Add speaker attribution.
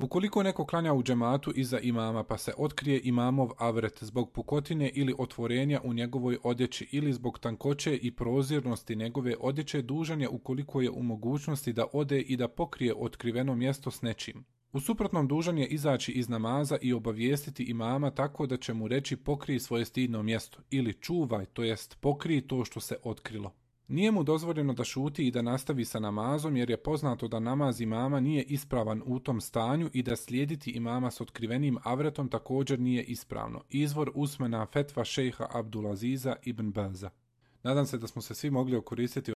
Speaker 1: Ukoliko neko klanja u džematu iza imama pa se otkrije imamov avret zbog pukotine ili otvorenja u njegovoj odjeći ili zbog tankoće i prozirnosti njegove odjeće, dužan je ukoliko je u mogućnosti da ode i da pokrije otkriveno mjesto s nečim. U suprotnom dužan je izaći iz namaza i obavijestiti imama tako da će mu reći pokrij svoje stidno mjesto ili čuvaj, to jest pokrij to što se otkrilo. Nije mu dozvoljeno da šuti i da nastavi sa namazom jer je poznato da namaz imama nije ispravan u tom stanju i da slijediti imama s otkrivenim avretom također nije ispravno. Izvor usmena fetva šejha Abdulaziza ibn Baza. Nadam se da smo se svi mogli okoristiti